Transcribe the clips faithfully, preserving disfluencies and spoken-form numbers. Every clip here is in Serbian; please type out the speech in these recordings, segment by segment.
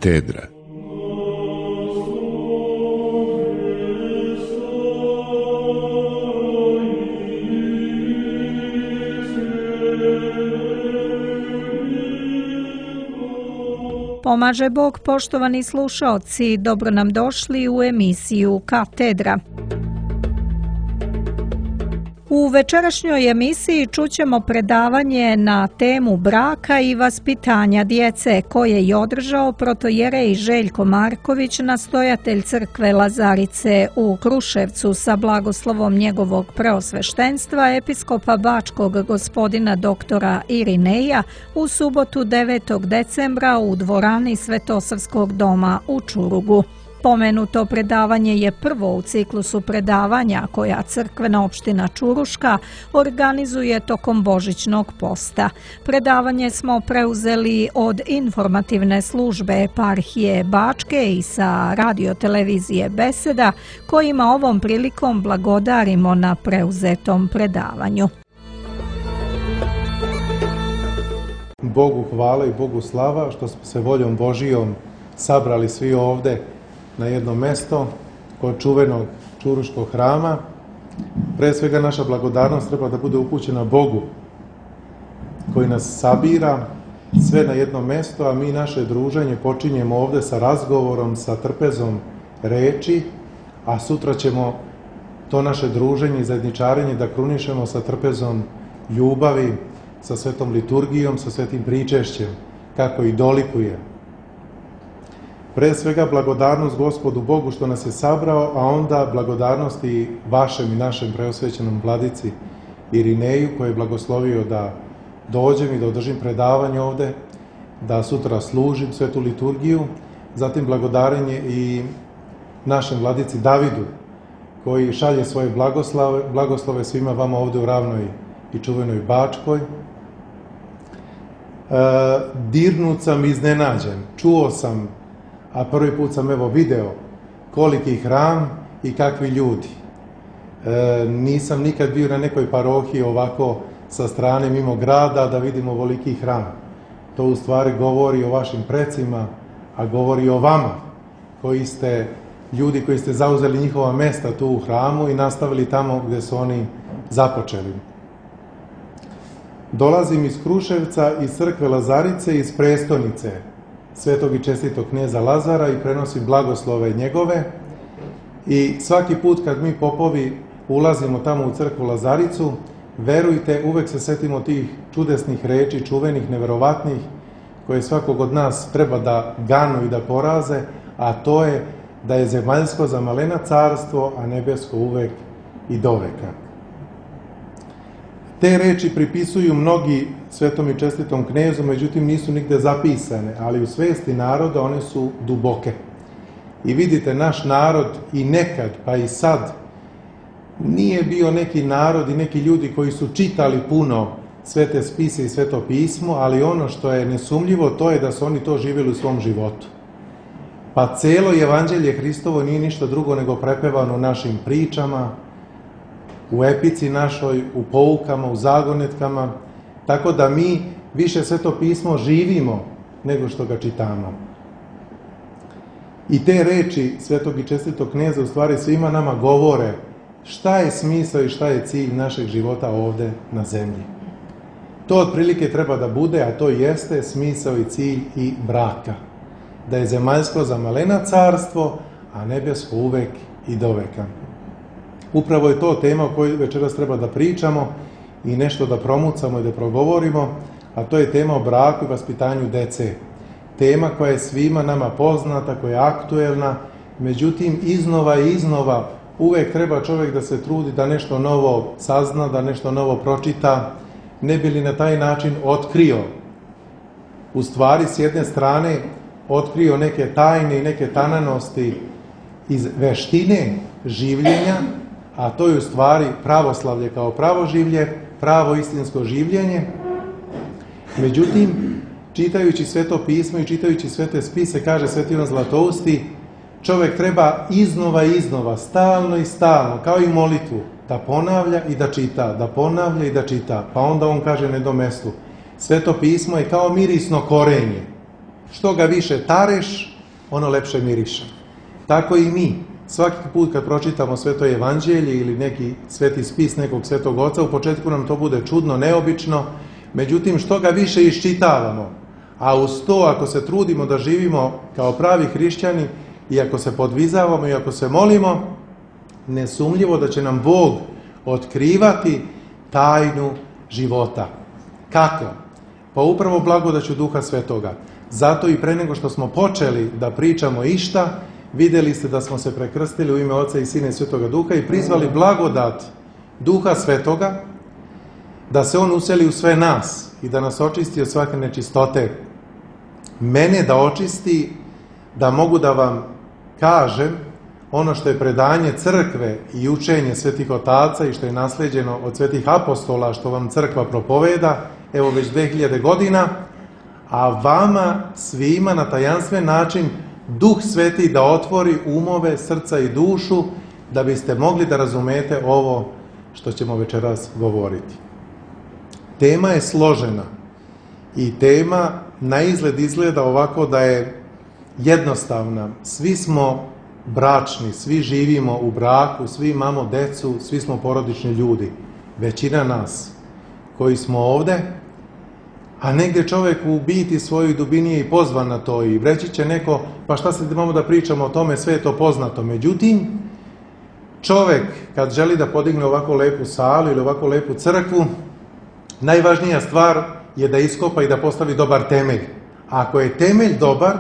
Katedra. Pomaže Bog, poštovani slušaoci, dobro nam došli u emisiju Katedra. U večerašnjoj emisiji čućemo predavanje na temu braka i vaspitanja djece koje je održao protojerej Željko Marković, nastojatelj crkve Lazarice u Kruševcu, sa blagoslovom njegovog preosveštenstva episkopa Bačkog gospodina doktora Irineja u subotu devetog decembra u dvorani Svetosavskog doma u Čurugu. Pomenuto predavanje je prvo u ciklusu predavanja koja crkvena opština Čuruška organizuje tokom božićnog posta. Predavanje smo preuzeli od informativne službe eparhije Bačke i sa radiotelevizije Beseda, kojima ovom prilikom blagodarimo na preuzetom predavanju. Bogu hvala i Bogu slava što smo se voljom Božijom sabrali svi ovde na jedno mesto kod čuvenog Čuruškog hrama. Pre svega naša blagodarnost treba da bude upućena Bogu koji nas sabira sve na jedno mesto, a mi naše druženje počinjemo ovde sa razgovorom, sa trpezom reči, a sutra ćemo to naše druženje i zajedničarenje da krunišemo sa trpezom ljubavi, sa svetom liturgijom, sa svetim pričešćem, kako i dolikuje. Pre svega blagodarnost Gospodu Bogu što nas je sabrao, a onda blagodarnost i vašem i našem preosvećenom vladici Irineju koji je blagoslovio da dođem i da održim predavanje ovde, da sutra služim svetu liturgiju. Zatim blagodarenje i našem vladici Davidu koji šalje svoje blagoslove, blagoslove svima vama ovde u ravnoj i čuvenoj Bačkoj. E, dirnut sam iznenađen, čuo sam, a prvi put sam evo video koliki hram i kakvi ljudi. E, nisam nikad bio na nekoj parohiji ovako sa strane mimo grada da vidim ovoliki hram. To u stvari govori o vašim precima, a govori o vama koji ste ljudi koji ste zauzeli njihova mesta tu u hramu i nastavili tamo gde su oni započeli. Dolazim iz Kruševca, iz crkve Lazarice, iz prestonice svetog i čestitog kneza Lazara i prenosim blagoslove njegove. I svaki put kad mi popovi ulazimo tamo u crkvu Lazaricu, verujte, uvek se setimo tih čudesnih reči, čuvenih, neverovatnih, koje svakog od nas treba da ganu i da poraze, a to je da je zemaljsko za malena carstvo, a nebesko uvek i doveka. Te reči pripisuju mnogi svetom i čestitom knezu, međutim nisu nigde zapisane, ali u svesti naroda one su duboke. I vidite, naš narod i nekad, pa i sad, nije bio neki narod i neki ljudi koji su čitali puno svete spise i sveto pismo, ali ono što je nesumljivo to je da su oni to živjeli u svom životu. Pa celo evanđelje Hristovo nije ništa drugo nego prepevano našim pričama, u epici našoj, u poukama, u zagonetkama, tako da mi više sveto pismo živimo nego što ga čitamo. I te reči svetog i čestitog kneza u stvari svima nama govore šta je smisao i šta je cilj našeg života ovde na zemlji. To otprilike treba da bude, a to jeste smisao i cilj i braka. Da je zemaljsko za malena carstvo, a nebesko uvek i doveka. Upravo je to tema o kojoj večeras treba da pričamo i nešto da promucamo i da progovorimo, a to je tema o braku i vaspitanju dece. Tema koja je svima nama poznata, koja je aktuelna, međutim iznova i iznova uvek treba čovjek da se trudi da nešto novo sazna, da nešto novo pročita, ne bi li na taj način otkrio, u stvari s jedne strane otkrio neke tajne i neke tananosti iz veštine življenja, a to je u stvari pravoslavlje kao pravo življe, pravo istinsko življenje. Međutim, čitajući sveto pismo i čitajući svete spise, kaže Sveti Ivan Zlatousti, čovjek treba iznova i iznova, stalno i stalno, kao i molitvu, da ponavlja i da čita, da ponavlja i da čita. Pa onda on kaže na jednom mestu, sveto pismo je kao mirisno korenje. Što ga više tareš, ono lepše miriše. Tako i mi. Svaki put kad pročitamo Sveto evanđelje ili neki sveti spis nekog svetog oca, u početku nam to bude čudno, neobično, međutim što ga više iščitavamo, a uz to ako se trudimo da živimo kao pravi hrišćani i ako se podvizavamo i ako se molimo, nesumnjivo da će nam Bog otkrivati tajnu života. Kako? Pa upravo blagodaću Duha Svetoga. Zato i pre nego što smo počeli da pričamo išta, vidjeli ste da smo se prekrstili u ime Oca i Sina i Svetoga Duha i prizvali blagodat Duha Svetoga, da se On useli u sve nas i da nas očisti od svake nečistote. Mene da očisti, da mogu da vam kažem ono što je predanje crkve i učenje svetih otaca i što je nasleđeno od svetih apostola, što vam crkva propoveda, evo već dve hiljade godina, a vama svima na tajanstven način Duh Sveti da otvori umove, srca i dušu, da biste mogli da razumete ovo što ćemo večeras govoriti. Tema je složena i tema na izgled izgleda ovako da je jednostavna. Svi smo bračni, svi živimo u braku, svi imamo decu, svi smo porodični ljudi. Većina nas koji smo ovde, a negdje čovjek u biti svojoj dubini je i pozvan na to i reći će neko, pa šta se imamo da pričamo o tome, sve je to poznato. Međutim, čovjek kad želi da podigne ovako lepu salu ili ovako lepu crkvu, najvažnija stvar je da iskopa i da postavi dobar temelj. A ako je temelj dobar,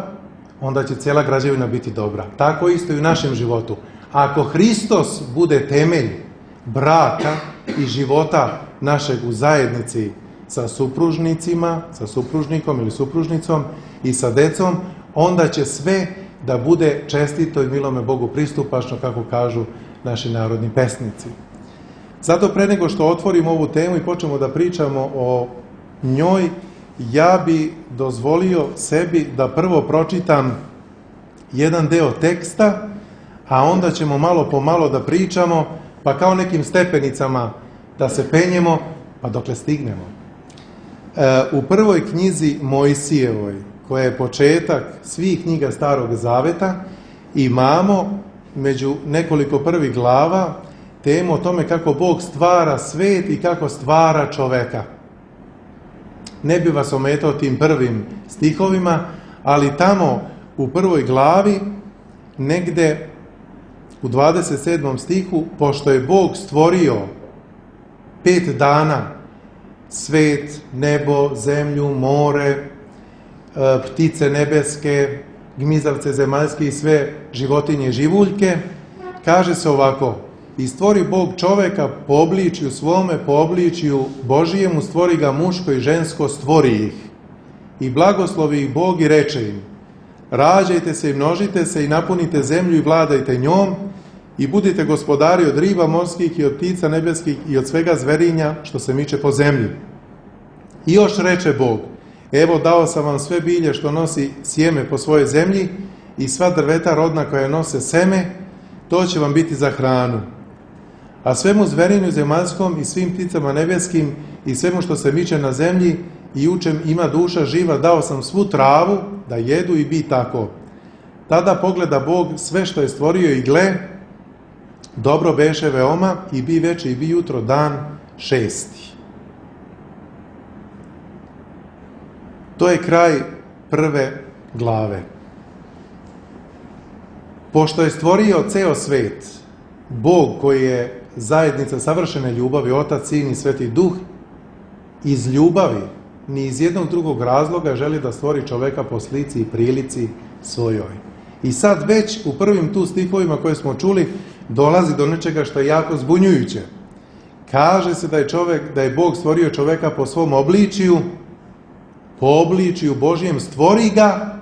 onda će cijela građevina biti dobra. Tako isto i u našem životu. Ako Hristos bude temelj braka i života našeg u zajednici sa supružnicima, sa supružnikom ili supružnicom i sa decom, onda će sve da bude čestito i milome Bogu pristupačno, kako kažu naši narodni pesnici. Zato pre nego što otvorimo ovu temu i počnemo da pričamo o njoj, ja bi dozvolio sebi da prvo pročitam jedan deo teksta, a onda ćemo malo po malo da pričamo, pa kao nekim stepenicama da se penjemo, pa dokle stignemo. E, u prvoj knjizi Mojsijevoj, koja je početak svih knjiga Starog Zaveta, imamo među nekoliko prvih glava temu o tome kako Bog stvara svet i kako stvara čoveka. Ne bi vas ometao tim prvim stihovima, ali tamo u prvoj glavi, negde u dvadeset sedmom stihu, pošto je Bog stvorio pet dana svet, nebo, zemlju, more, ptice nebeske, gmizavce zemaljske i sve životinje i živuljke, kaže se ovako: i stvori Bog čoveka po obličju svome, po obličju Božijemu stvori ga, muško i žensko stvori ih. I blagoslovi ih Bog i reče im: rađajte se i množite se i napunite zemlju i vladajte njom i budite gospodari od riba morskih i od ptica nebeskih i od svega zverinja što se miče po zemlji. I još reče Bog: evo dao sam vam sve bilje što nosi sjeme po svojoj zemlji i sva drveta rodna koja nose seme, to će vam biti za hranu. A svemu zverinju zemaljskom i svim pticama nebeskim i svemu što se miče na zemlji i u čem ima duša živa dao sam svu travu da jedu i bi tako. Tada pogleda Bog sve što je stvorio i gle, dobro beše veoma i bi veče i bi jutro dan šesti. To je kraj prve glave. Pošto je stvorio ceo svet, Bog koji je zajednica savršene ljubavi, Otac, Sin i Sveti Duh, iz ljubavi, ni iz jednog drugog razloga želi da stvori čoveka po slici i prilici svojoj. I sad već u prvim tu stihovima koje smo čuli dolazi do nečega što je jako zbunjujuće. Kaže se da je čovek, da je Bog stvorio čoveka po svom obličiju, po obličiju Božijem stvori ga,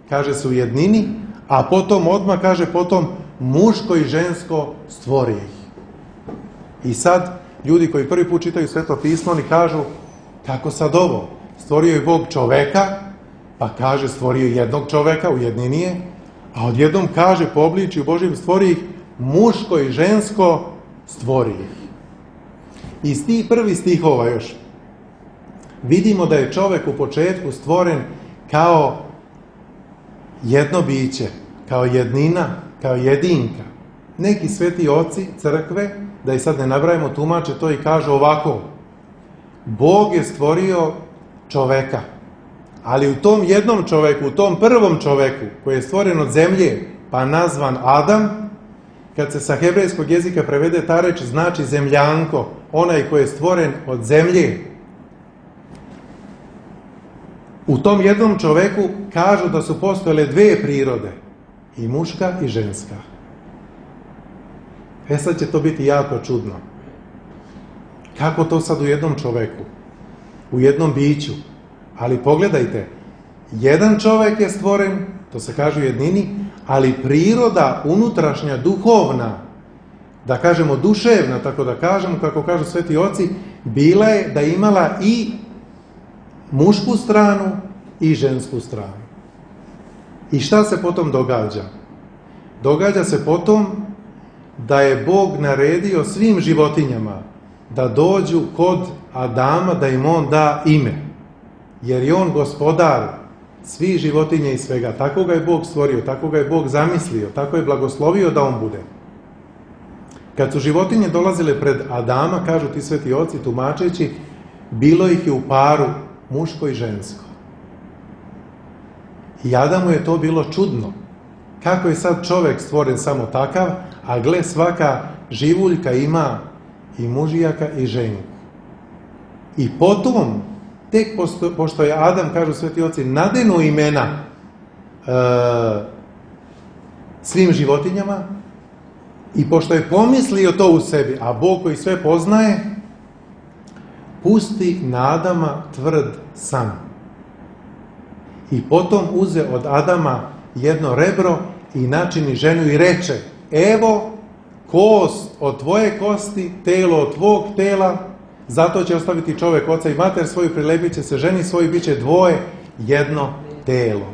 kaže se u jednini, a potom odmah kaže potom muško i žensko stvori ih. I sad ljudi koji prvi put čitaju Sveto pismo, oni kažu: kako sad ovo? Stvorio je Bog čoveka, pa kaže stvorio jednog čoveka, u jednini je, a odjednom kaže po obličju Božijem stvori ih, muško i žensko stvori ih. Iz tih prvih stihova još vidimo da je čovek u početku stvoren kao jedno biće, kao jednina, kao jedinka. Neki sveti oci crkve, da i sad ne nabrajamo, tumače to i kažu ovako: Bog je stvorio čoveka, ali u tom jednom čoveku, u tom prvom čoveku koji je stvoren od zemlje, pa nazvan Adam, kad se sa hebrejskog jezika prevede ta reč, znači zemljanko, onaj koji je stvoren od zemlje. U tom jednom čoveku kažu da su postojale dve prirode, i muška i ženska. E sad će to biti jako čudno. Kako to sad u jednom čoveku? U jednom biću? Ali pogledajte, jedan čovek je stvoren, to se kaže u jednini, ali priroda unutrašnja, duhovna, da kažemo duševna, tako da kažemo, kako kažu sveti oci, bila je da imala i mušku stranu i žensku stranu. I šta se potom događa? Događa se potom da je Bog naredio svim životinjama da dođu kod Adama, da im on da ime. Jer je on gospodar svih životinja i svega. Tako ga je Bog stvorio, tako ga je Bog zamislio, tako je blagoslovio da on bude. Kad su životinje dolazile pred Adama, kažu ti sveti oci tumačeći, bilo ih je u paru, muško i žensko. I Adamu je to bilo čudno. Kako je sad čovek stvoren samo takav, a gle, svaka živuljka ima i mužijaka i ženku. I potom, tek posto, pošto je Adam, kažu sveti oci, nadenu imena e, svim životinjama, i pošto je pomislio to u sebi, a Bog koji sve poznaje, pusti na Adama tvrd san. I potom uze od Adama jedno rebro i načini ženu i reče: evo, kost od tvoje kosti, telo od tvog tela, zato će ostaviti čovek oca i mater svoju, prilepit će se ženi svoji, bit će dvoje, jedno telo.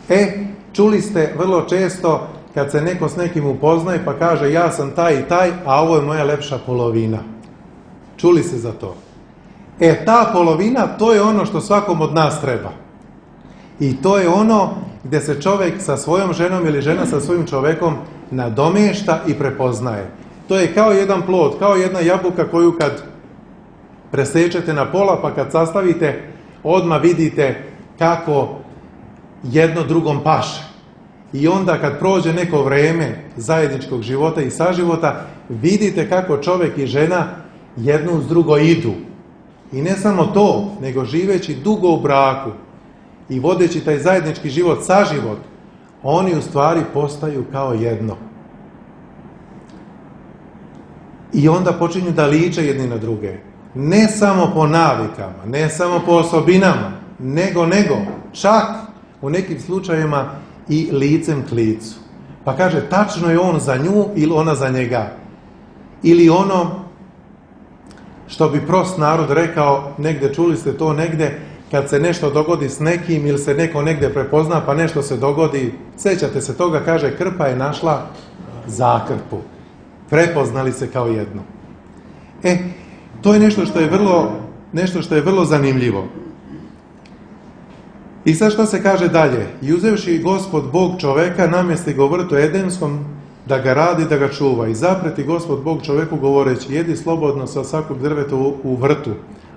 E, čuli ste vrlo često kad se neko s nekim upoznaje pa kaže ja sam taj i taj, a ovo je moja lepša polovina. Čuli ste za to? E, ta polovina, to je ono što svakom od nas treba. I to je ono gde se čovek sa svojom ženom ili žena sa svojim čovekom nadomešta i prepoznaje. To je kao jedan plod, kao jedna jabuka koju kad presečete na pola, pa kad sastavite, odmah vidite kako jedno drugom paše. I onda kad prođe neko vreme zajedničkog života i saživota, vidite kako čovek i žena jedno uz drugo idu. I ne samo to, nego živeći dugo u braku i vodeći taj zajednički život, saživot, oni u stvari postaju kao jedno. I onda počinju da liče jedni na druge. Ne samo po navikama, ne samo po osobinama, nego, nego, čak u nekim slučajevima i licem k licu. Pa kaže, tačno je on za nju ili ona za njega. Ili ono što bi prost narod rekao, negde čuli ste to negde, kad se nešto dogodi s nekim ili se neko negde prepozna pa nešto se dogodi, sećate se toga, kaže, krpa je našla zakrpu. Prepoznali se kao jedno. E, to je nešto što je vrlo, nešto što je vrlo zanimljivo. I sad šta se kaže dalje? I uzevši Gospod Bog čoveka, namjesti ga u vrtu Edenskom, da ga radi, da ga čuva. I zapreti Gospod Bog čoveku govoreći, jedi slobodno sa svakog drveta u, u vrtu,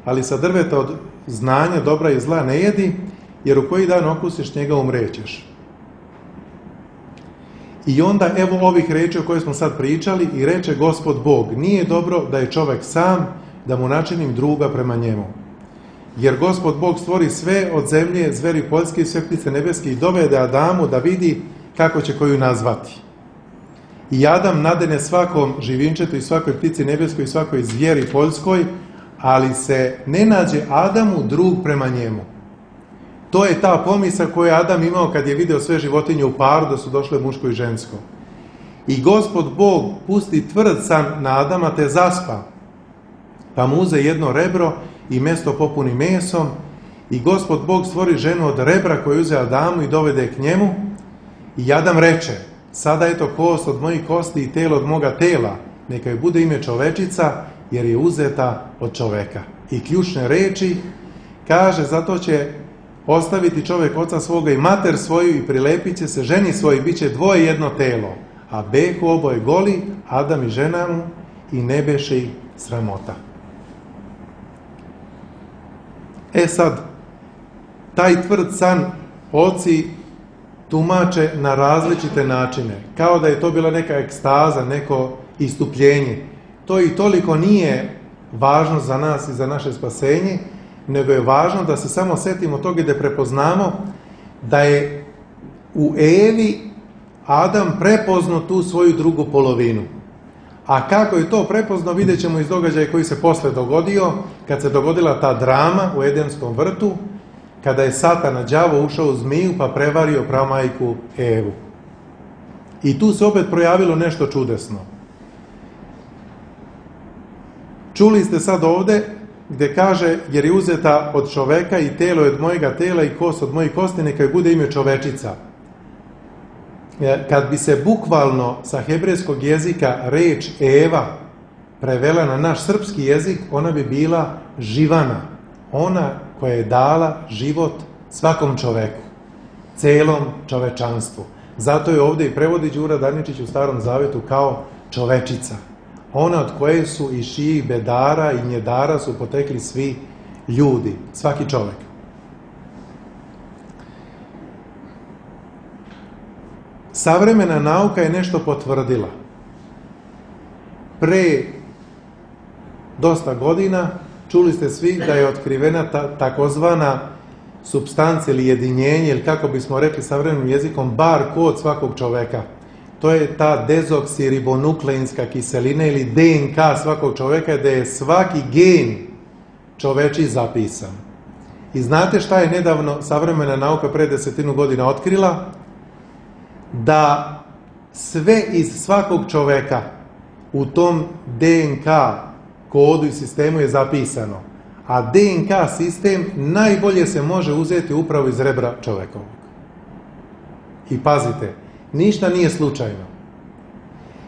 ali sa drveta od znanja, dobra i zla ne jedi, jer u koji dan okusiš njega umrećeš. I onda evo ovih reči o kojoj smo sad pričali, i reče Gospod Bog, nije dobro da je čovek sam, da mu načinim druga prema njemu. Jer Gospod Bog stvori sve od zemlje, zveri poljske i sve ptice nebeske i dovede Adamu da vidi kako će koju nazvati. I Adam nadene svakom živinčetu i svakoj ptici nebeskoj i svakoj zvijeri poljskoj, ali se ne nađe Adamu drug prema njemu. To je ta pomisao koju je Adam imao kad je video sve životinje u paru, da su došle muško i žensko. I Gospod Bog pusti tvrd san na Adama te zaspa, pa mu uze jedno rebro i mesto popuni mesom, i Gospod Bog stvori ženu od rebra koju uze Adamu i dovede k njemu. I Adam reče, sada je to kost od mojih kosti i telo od moga tela, neka joj bude ime čovečica, jer je uzeta od čoveka. I ključne reči kaže, zato će ostaviti čovjek oca svoga i mater svoju i prilepit će se ženi svoji, bit će dvoje jedno telo. A behu oboje goli, Adam i žena mu, i ne beše ih sramota. E sad, taj tvrd san oci tumače na različite načine, kao da je to bila neka ekstaza, neko istupljenje. To i toliko nije važno za nas i za naše spasenje, nego je važno da se samo setimo toga i da prepoznamo da je u Evi Adam prepoznao tu svoju drugu polovinu. A kako je to prepoznao, vidjet ćemo iz događaja koji se posle dogodio, kad se dogodila ta drama u Edenskom vrtu, kada je Satan, đavo, ušao u zmiju pa prevario pramajku Evu. I tu se opet projavilo nešto čudesno. Čuli ste sad ovde gde kaže, jer je uzeta od čoveka i telo je od mojega tela i kost od mojih kosti, neka bude ime čovečica. Kad bi se bukvalno sa hebrejskog jezika reč Eva prevela na naš srpski jezik, ona bi bila živana. Ona koja je dala život svakom čoveku, celom čovečanstvu. Zato je ovdje i prevodi Đura Daničić u Starom Zavetu kao čovečica. Ona od koje su i šijih bedara i njedara su potekli svi ljudi, svaki čovek. Savremena nauka je nešto potvrdila. Pre dosta godina čuli ste svi da je otkrivena ta, takozvana supstancija ili jedinjenje, ili kako bismo rekli savremenim jezikom, bar kod svakog čoveka. To je ta dezoksiribonukleinska kiselina ili D N K svakog čoveka, gde je svaki gen čoveči zapisan. I znate šta je nedavno savremena nauka pre desetinu godina otkrila? Da sve iz svakog čoveka u tom D N K kodu i sistemu je zapisano. A D N K sistem najbolje se može uzeti upravo iz rebra čovekovog. I pazite, ništa nije slučajno.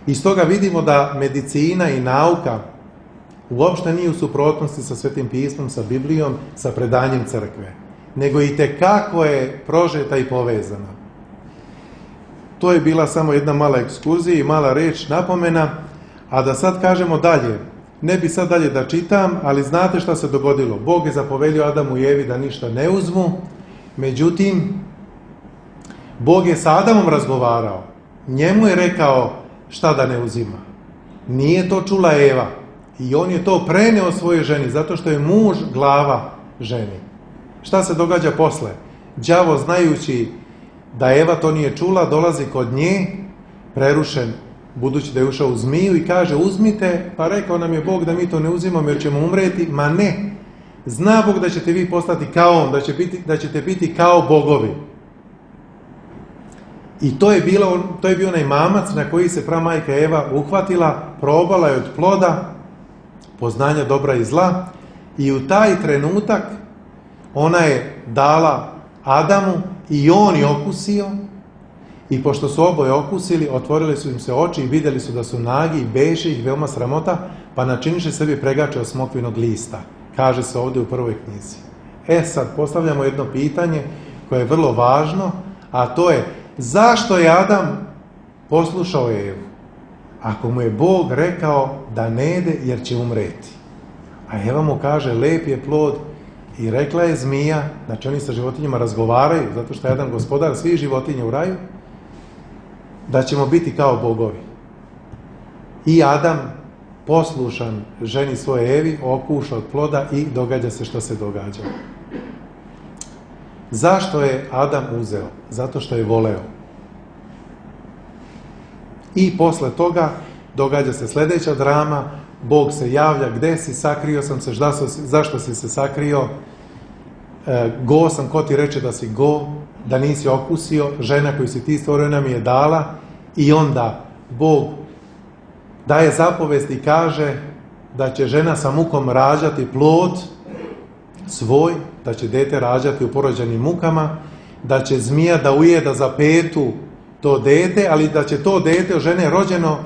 Iz toga vidimo da medicina i nauka uopšte nije u suprotnosti sa Svetim pismom, sa Biblijom, sa predanjem crkve, nego i tekako je prožeta i povezana. To je bila samo jedna mala ekskurzija i mala reč napomena, a da sad kažemo dalje. Ne bi sad dalje da čitam, ali znate šta se dogodilo. Bog je zapovelio Adamu i Evi da ništa ne uzmu, međutim, Bog je sa Adamom razgovarao. Njemu je rekao šta da ne uzima. Nije to čula Eva. I on je to preneo svojoj ženi, zato što je muž glava ženi. Šta se događa posle? Đavo, znajući da Eva to nije čula, dolazi kod nje, prerušen, budući da je ušao u zmiju, i kaže, uzmite, pa rekao nam je Bog da mi to ne uzimamo jer ćemo umreti. Ma ne, zna Bog da ćete vi postati kao on, da, će biti, da ćete biti kao bogovi. I to je, bilo, to je bio onaj mamac na koji se pramajka Eva uhvatila, probala je od ploda poznanja dobra i zla, i u taj trenutak ona je dala Adamu i on je okusio, i pošto su oboje okusili, otvorili su im se oči i vidjeli su da su nagi i beše ih veoma sramota, pa načiniše sebi pregače od smokvinog lista. Kaže se ovdje u prvoj knjizi. E sad, postavljamo jedno pitanje koje je vrlo važno, a to je, zašto je Adam poslušao Evu? Ako mu je Bog rekao da ne jede jer će umreti. A Eva mu kaže, lep je plod, i rekla je zmija, znači oni sa životinjama razgovaraju, zato što je jedan gospodar svih životinja u raju, da ćemo biti kao bogovi. I Adam, poslušan ženi svoje Evi, okuša od ploda i događa se što se događa. Zašto je Adam uzeo? Zato što je voleo. I posle toga događa se sljedeća drama, Bog se javlja, gde si, sakrio sam se, zašto si se sakrio, e, go sam, ko ti reče da si go, da nisi okusio, žena koju si ti stvorio nam je dala, i onda Bog daje zapovest i kaže da će žena sa mukom rađati plod svoj, da će dete rađati u porođenim mukama, da će zmija da ujeda za petu to dete, ali da će to dete od žene rođeno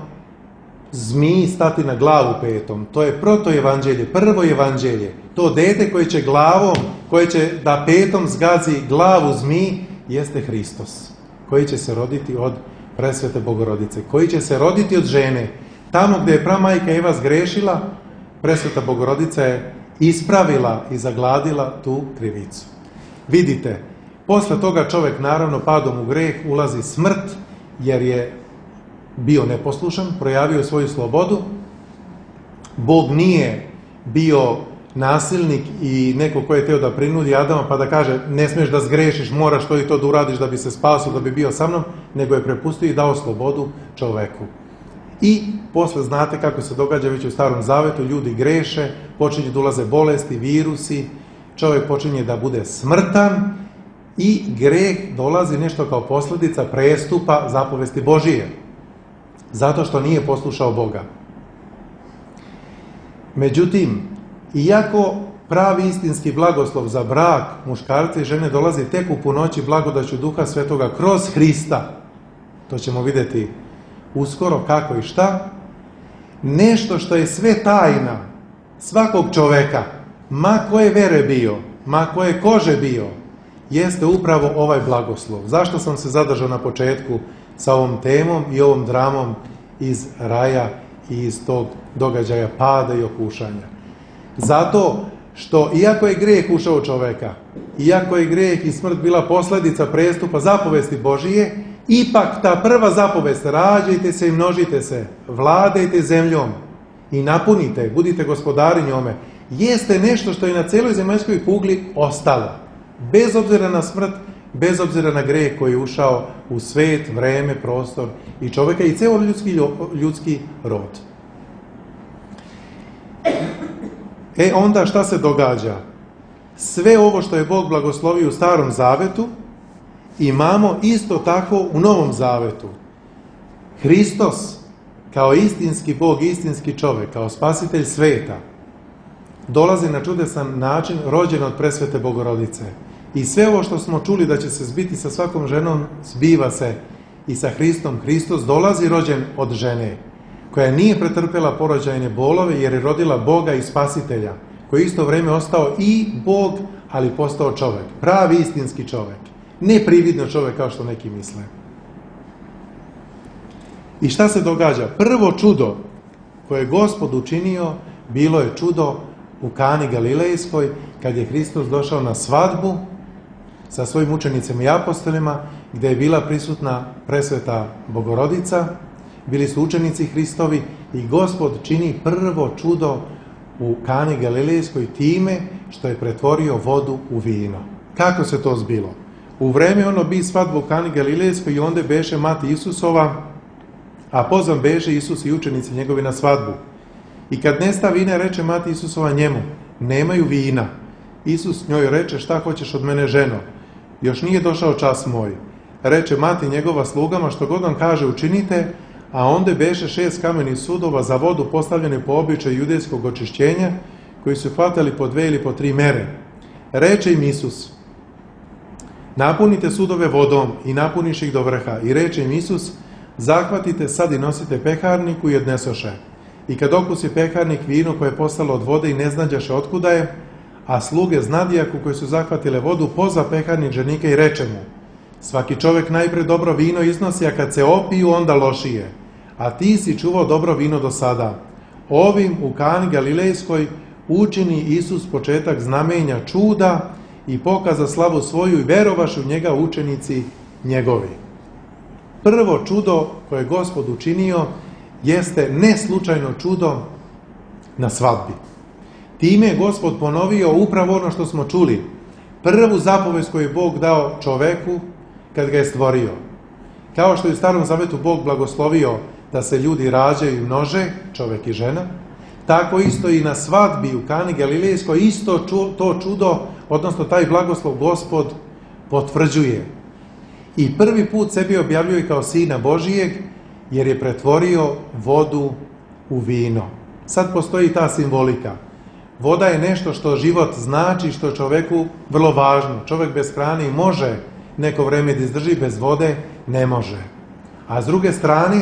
zmiji stati na glavu petom. To je protoevanđelje, prvo evanđelje. To dete koje će glavom, koje će da petom zgazi glavu zmiji, jeste Hristos, koji će se roditi od presvete Bogorodice, koji će se roditi od žene. Tamo gdje je pramajka Eva zgrešila, presveta Bogorodica je ispravila i zagladila tu krivicu. Vidite, posle toga čovjek naravno padom u greh ulazi smrt, jer je bio neposlušan, projavio svoju slobodu. Bog nije bio nasilnik i neko ko je teo da prinudi Adama pa da kaže ne smiješ da zgrešiš, moraš to i to da uradiš da bi se spasio, da bi bio sa mnom, nego je prepustio i dao slobodu čoveku. I posle znate kako se događa već u Starom Zavetu, ljudi greše, počinju da ulaze bolesti, virusi, čovjek počinje da bude smrtan i greh dolazi nešto kao posljedica prestupa zapovesti Božije, zato što nije poslušao Boga. Međutim, iako pravi istinski blagoslov za brak muškarca i žene dolazi tek u punoći blagodaću Duha Svetoga kroz Hrista, to ćemo vidjeti uskoro kako i šta, nešto što je sve tajna svakog čoveka, ma koje vere bio, ma koje kože bio, jeste upravo ovaj blagoslov. Zašto sam se zadržao na početku sa ovom temom i ovom dramom iz raja i iz tog događaja pada i okušanja? Zato što iako je grijeh ušao u čoveka, iako je grijeh i smrt bila posljedica prestupa zapovesti Božije, ipak ta prva zapovest, rađajte se i množite se, vladajte zemljom i napunite, budite gospodari njome, jeste nešto što je na cijeloj zemaljskoj kugli ostalo. Bez obzira na smrt, bez obzira na grijeh koji je ušao u svet, vreme, prostor i čovjeka i cijel ljudski, ljudski rod. E onda šta se događa? Sve ovo što je Bog blagoslovio u Starom Zavetu, imamo isto tako u Novom Zavetu. Hristos, kao istinski Bog, istinski čovjek, kao spasitelj sveta, dolazi na čudesan način, rođen od presvete Bogorodice. I sve ovo što smo čuli da će se zbiti sa svakom ženom, zbiva se i sa Hristom. Hristos dolazi rođen od žene, koja nije pretrpela porođajne bolove, jer je rodila Boga i spasitelja, koji je isto vrijeme ostao i Bog, ali postao čovjek. Pravi istinski čovjek. Ne prividno čovjek kao što neki misle. I šta se događa? Prvo čudo koje je Gospod učinio, bilo je čudo u Kani Galilejskoj, kad je Hristos došao na svadbu sa svojim učenicima i apostolima, gdje je bila prisutna presveta Bogorodica, bili su učenici Hristovi i Gospod čini prvo čudo u Kani Galilejskoj time što je pretvorio vodu u vino. Kako se to zbilo? U vreme ono bi svadbu u Kani Galilejskoj i onda beše mati Isusova, a pozvan beše Isus i učenici njegovi na svadbu. I kad nesta vina, reče mati Isusova njemu, nemaju vina. Isus njoj reče, šta hoćeš od mene, ženo? Još nije došao čas moj. Reče mati njegova slugama, što god vam kaže učinite, a onda beše šest kamenih sudova za vodu postavljene po običaju judejskog očišćenja, koji su hvatali po dve ili po tri mere. Reče im Isus, napunite sudove vodom i napuniš ih do vrha. I reče im Isus, zahvatite sad i nosite peharniku i odnesoše. I kad okusi peharnik vino koje je postalo od vode i ne znađaše otkuda je, a sluge znadijaku koji su zahvatile vodu, pozva peharnik ženika i reče mu, svaki čovjek najpre dobro vino iznosi, a kad se opiju onda lošije. A ti si čuvao dobro vino do sada. Ovim u Kani Galilejskoj učini Isus početak znamenja čuda i pokaza slavu svoju i verovaše u njega učenici njegovi. Prvo čudo koje je Gospod učinio jeste neslučajno čudo na svadbi. Time je Gospod ponovio upravo ono što smo čuli. Prvu zapovest koju je Bog dao čoveku kad ga je stvorio. Kao što je u Starom Zavetu Bog blagoslovio da se ljudi rađaju i množe, čovjek i žena, tako isto i na svadbi u Kani Galilejskoj isto ču, to čudo, odnosno taj blagoslov Gospod potvrđuje. I prvi put sebi objavljuje kao Sina Božijeg, jer je pretvorio vodu u vino. Sad postoji ta simbolika. Voda je nešto što život znači, što čovjeku vrlo važno. Čovjek bez hrane može neko vrijeme da izdrži, bez vode ne može. A s druge strane,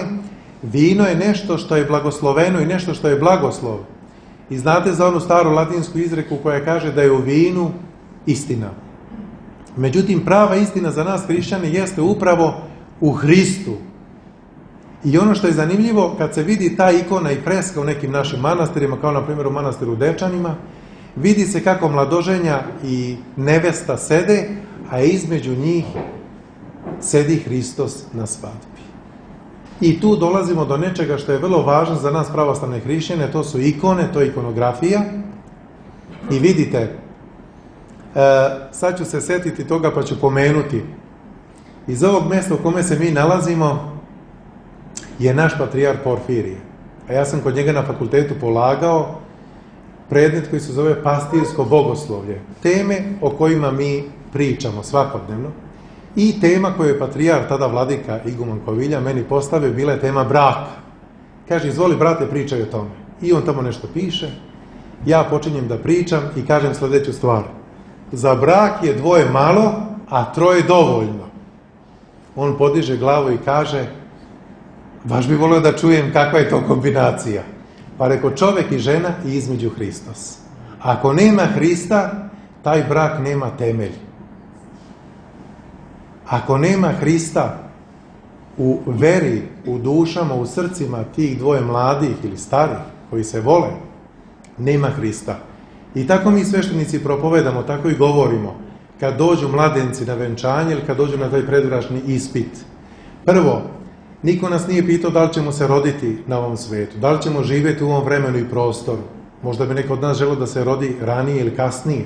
Vino je nešto što je blagosloveno i nešto što je blagoslov. I znate za onu staru latinsku izreku koja kaže da je u vinu istina. Međutim, prava istina za nas hrišćane jeste upravo u Hristu. I ono što je zanimljivo, kad se vidi ta ikona i freska u nekim našim manastirima, kao na primjer u manastiru Dečanima, vidi se kako mladoženja i nevesta sede, a između njih sedi Hristos na svadbi. I tu dolazimo do nečega što je vrlo važno za nas pravoslavne hrišćane, to su ikone, to je ikonografija. I vidite, e, sad ću se setiti toga pa ću pomenuti. Iz ovog mjesta u kome se mi nalazimo je naš patrijarh Porfirije. A ja sam kod njega na fakultetu polagao predmet koji se zove pastirsko bogoslovlje. Teme o kojima mi pričamo svakodnevno. I tema koju je patrijarh, tada vladika Iguman Kovilja, meni postavio, bila je tema braka. Kaže, izvoli brate, pričaj o tome. I on tamo nešto piše. Ja počinjem da pričam i kažem sljedeću stvar. Za brak je dvoje malo, a troje dovoljno. On podiže glavu i kaže, baš bi volio da čujem kakva je to kombinacija. Pa reko, čovek i žena i između Hristos. Ako nema Hrista, taj brak nema temelj. Ako nema Hrista u veri, u dušama, u srcima tih dvoje mladih ili starih koji se vole, nema Hrista. I tako mi sveštenici propovedamo, tako i govorimo, kad dođu mladenci na venčanje ili kad dođu na taj predbračni ispit. Prvo, niko nas nije pitao da li ćemo se roditi na ovom svetu, da li ćemo živjeti u ovom vremenu i prostoru. Možda bi neko od nas želeo da se rodi ranije ili kasnije.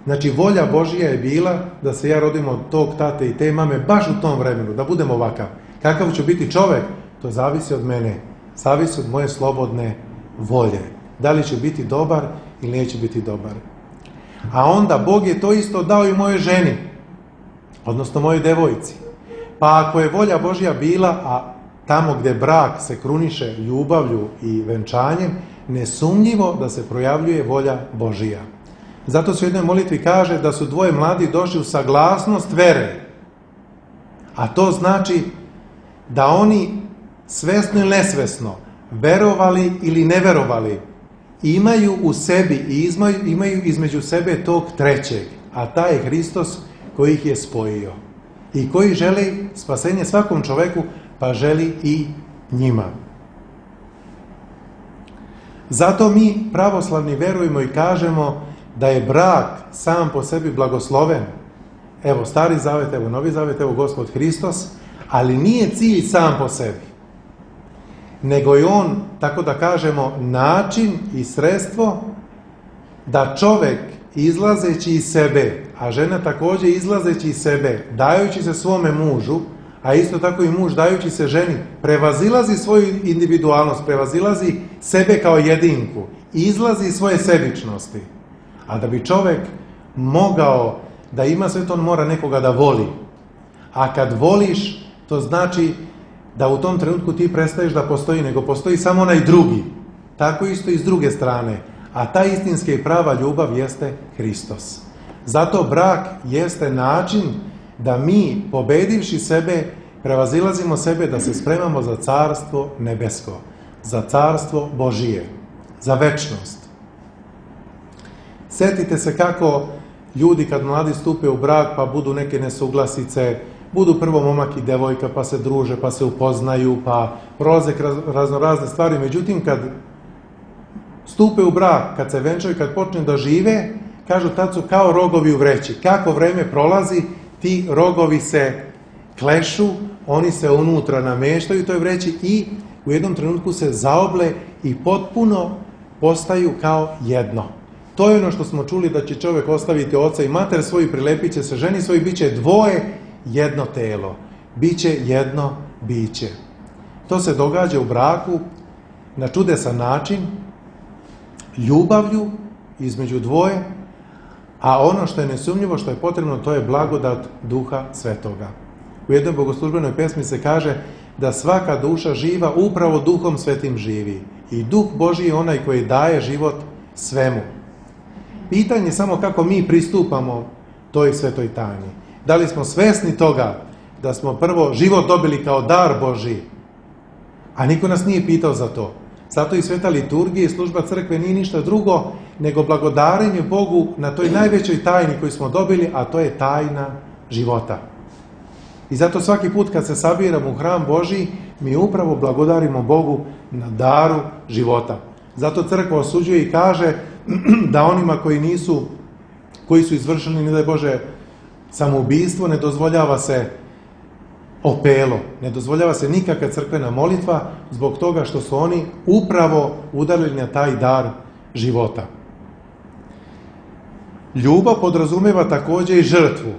Znači, volja Božija je bila da se ja rodim od tog tate i te mame baš u tom vremenu, da budem ovakav. Kakav ću biti čovek, to zavisi od mene, zavisi od moje slobodne volje. Da li ću biti dobar ili neću biti dobar. A onda Bog je to isto dao i mojoj ženi, odnosno mojoj devojci. Pa ako je volja Božja bila, a tamo gde brak se kruniše ljubavlju i venčanjem, nesumnjivo da se projavljuje volja Božija. Zato se u jednoj molitvi kaže da su dvoje mladi došli u saglasnost vere. A to znači da oni svesno ili nesvesno, verovali ili ne verovali, imaju u sebi i imaju između sebe tog trećeg, a taj je Hristos koji ih je spojio i koji želi spasenje svakom čoveku, pa želi i njima. Zato mi pravoslavni verujemo i kažemo da je brak sam po sebi blagosloven. Evo Stari Zavet, evo Novi Zavet, evo Gospod Hristos, ali nije cilj sam po sebi. Nego je on, tako da kažemo, način i sredstvo da čovek izlazeći iz sebe, a žena također izlazeći iz sebe, dajući se svome mužu, a isto tako i muž dajući se ženi, prevazilazi svoju individualnost, prevazilazi sebe kao jedinku, izlazi iz svoje sebičnosti. A da bi čovek mogao da ima sve to, on mora nekoga da voli. A kad voliš, to znači da u tom trenutku ti prestaješ da postoji, nego postoji samo onaj drugi. Tako isto i s druge strane. A ta istinska i prava ljubav jeste Hristos. Zato brak jeste način da mi, pobedivši sebe, prevazilazimo sebe, da se spremamo za carstvo nebesko, za carstvo Božije, za večnost. Setite se kako ljudi kad mladi stupe u brak pa budu neke nesuglasice, budu prvo momak i devojka pa se druže, pa se upoznaju, pa prolaze razno razne stvari. Međutim, kad stupe u brak, kad se venčaju, kad počne da žive, kažu tad su kao rogovi u vreći. Kako vreme prolazi, ti rogovi se klešu, oni se unutra nameštaju u toj vreći i u jednom trenutku se zaoble i potpuno postaju kao jedno. To je ono što smo čuli, da će čovjek ostaviti oca i mater svoj, prilepit će se ženi svoj, bit će dvoje, jedno telo. Biće jedno biće. To se događa u braku na čudesan način, ljubavlju između dvoje, a ono što je nesumnjivo, što je potrebno, to je blagodat Duha Svetoga. U jednoj bogoslužbenoj pesmi se kaže da svaka duša živa upravo Duhom Svetim živi. I Duh Božji je onaj koji daje život svemu. Pitanje je samo kako mi pristupamo toj svetoj tajni. Da li smo svesni toga da smo prvo život dobili kao dar Božji, A niko nas nije pitao za to. Zato i sveta liturgija i služba crkve nije ništa drugo nego blagodarenje Bogu na toj najvećoj tajni koju smo dobili, a to je tajna života. I zato svaki put kad se sabiramo u hram Božji, mi upravo blagodarimo Bogu na daru života. Zato crkva osuđuje i kaže da onima koji nisu, koji su izvršili, ne daj Bože, samoubistvo, ne dozvoljava se opelo, ne dozvoljava se nikakva crkvena molitva zbog toga što su oni upravo udarili na taj dar života. Ljubav podrazumeva također i žrtvu,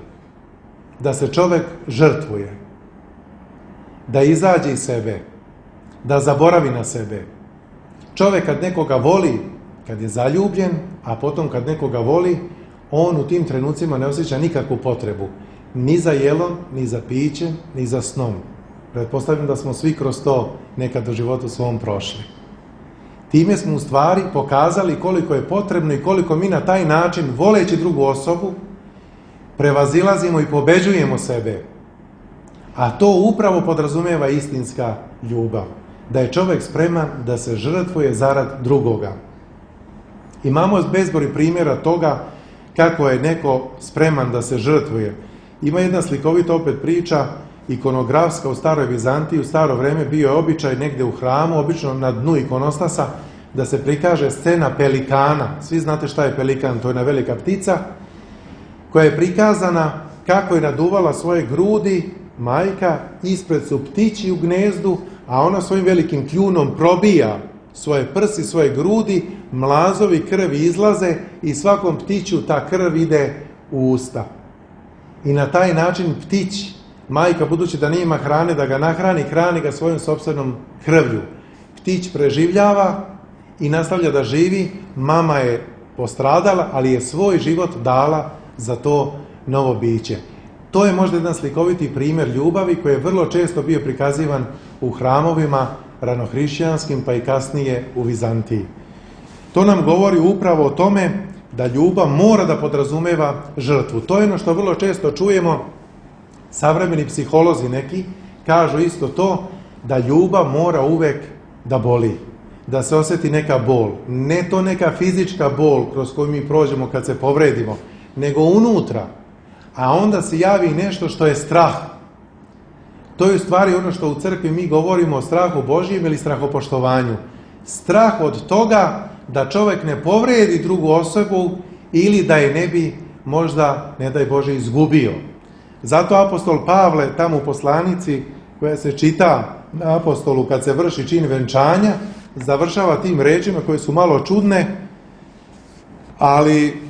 da se čovjek žrtvuje, da izađe iz sebe, da zaboravi na sebe. Čovjek kad nekoga voli, kad je zaljubljen, a potom kad nekoga voli, on u tim trenucima ne osjeća nikakvu potrebu, ni za jelom, ni za pićem, ni za snom. Pretpostavljam da smo svi kroz to nekad u životu svom prošli. Time smo u stvari pokazali koliko je potrebno i koliko mi na taj način, voleći drugu osobu, prevazilazimo i pobeđujemo sebe. A to upravo podrazumijeva istinska ljubav. Da je čovjek spreman da se žrtvuje zarad drugoga. Imamo bezbroj primjera toga kako je neko spreman da se žrtvuje. Ima jedna slikovita opet priča, ikonografska u staroj Vizantiji, u staro vrijeme bio je običaj negdje u hramu, obično na dnu ikonostasa, da se prikaže scena pelikana. Svi znate šta je pelikan, to je jedna velika ptica, koja je prikazana kako je naduvala svoje grudi majka, ispred su ptići u gnezdu, a ona svojim velikim kljunom probija svoje prsi, svoje grudi, mlazovi krvi izlaze i svakom ptiću ta krv ide u usta. I na taj način ptić, majka budući da nema hrane da ga nahrani, hrani ga svojom sopstvenom krvlju. Ptić preživljava i nastavlja da živi, mama je postradala, ali je svoj život dala za to novo biće. To je možda jedan slikoviti primjer ljubavi koji je vrlo često bio prikazivan u hramovima ranohrišćanskim pa i kasnije u Vizantiji. To nam govori upravo o tome da ljubav mora da podrazumeva žrtvu. To je ono što vrlo često čujemo, savremeni psiholozi neki kažu isto to, da ljubav mora uvek da boli, da se osjeti neka bol. Ne to neka fizička bol kroz koju mi prođemo kad se povredimo, nego unutra. A onda se javi nešto što je strah. To je u stvari ono što u crkvi mi govorimo o strahu Božjem ili strahopoštovanju. Strah od toga da čovjek ne povredi drugu osobu ili da je ne bi možda, ne daj Bože, izgubio. Zato apostol Pavle tamo u poslanici koja se čita na apostolu kad se vrši čin venčanja, završava tim rečima koje su malo čudne, ali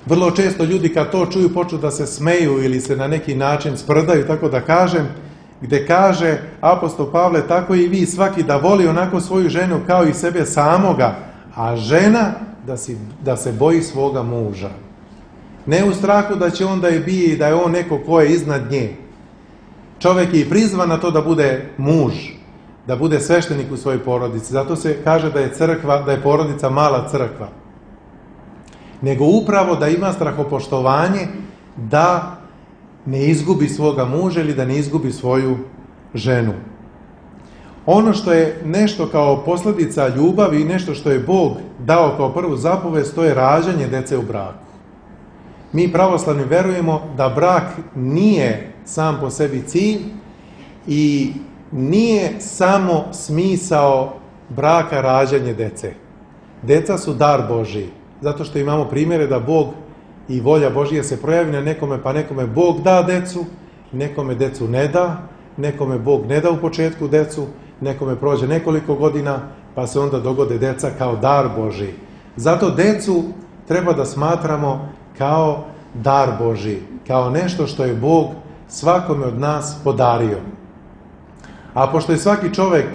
vrlo često ljudi kad to čuju počnu da se smeju ili se na neki način sprdaju, tako da kažem, gdje kaže apostol Pavle, tako i vi svaki da voli onako svoju ženu kao i sebe samoga, a žena da, si, da se boji svoga muža. Ne u strahu da će on da je bije i da je on neko ko je iznad nje. Čovjek je i prizvan na to da bude muž, da bude sveštenik u svojoj porodici. Zato se kaže da je crkva, da je porodica mala crkva. Nego upravo da ima strahopoštovanje da ne izgubi svoga muža ili da ne izgubi svoju ženu. Ono što je nešto kao posljedica ljubavi i nešto što je Bog dao kao prvu zapovest, to je rađanje dece u braku. Mi pravoslavni verujemo da brak nije sam po sebi cilj i nije samo smisao braka rađanje dece. Deca su dar Božji, zato što imamo primjere da Bog i volja Božja se projavi na nekome, pa nekome Bog da decu, nekome decu ne da, nekome Bog ne da u početku decu, nekome prođe nekoliko godina, pa se onda dogode deca kao dar Božji. Zato decu treba da smatramo kao dar Božji, kao nešto što je Bog svakome od nas podario. A pošto je svaki čovjek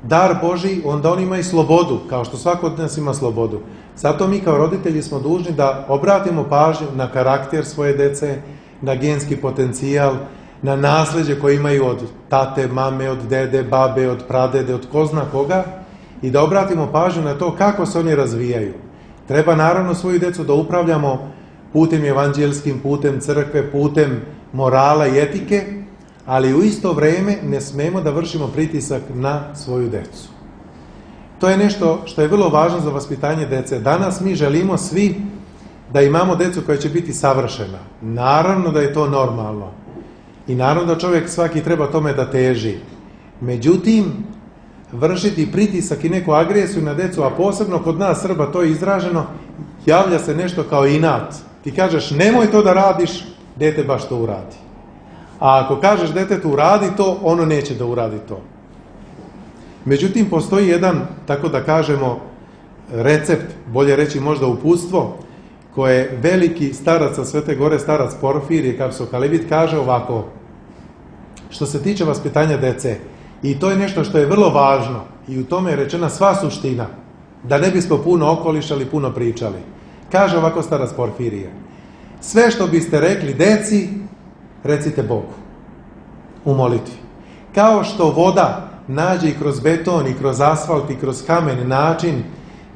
dar Božji, onda on ima i slobodu, kao što svako od nas ima slobodu. Zato mi kao roditelji smo dužni da obratimo pažnju na karakter svoje dece, na genski potencijal, na nasljeđe koje imaju od tate, mame, od dede, babe, od pradede, od ko zna koga, i da obratimo pažnju na to kako se oni razvijaju. Treba naravno svoju decu da upravljamo putem evanđelskim, putem crkve, putem morala i etike, ali u isto vrijeme ne smemo da vršimo pritisak na svoju decu. To je nešto što je vrlo važno za vaspitanje dece. Danas mi želimo svi da imamo decu koja će biti savršena. Naravno da je to normalno. I naravno da čovjek svaki treba tome da teži. Međutim, vršiti pritisak i neku agresiju na decu, a posebno kod nas Srba to je izraženo, javlja se nešto kao inat. Ti kažeš nemoj to da radiš, dete baš to uradi. A ako kažeš detetu uradi to, ono neće da uradi to. Međutim, postoji jedan, tako da kažemo, recept, bolje reći možda uputstvo, koje veliki starac sa Svete Gore, starac Porfirije Kapsokalevit, kaže ovako, što se tiče vaspitanja dece, i to je nešto što je vrlo važno, i u tome je rečena sva suština, da ne bismo puno okolišali, puno pričali. Kaže ovako starac Porfirije, sve što biste rekli deci, recite Bogu u molitvi. Kao što voda nađe i kroz beton, i kroz asfalt, i kroz kamen način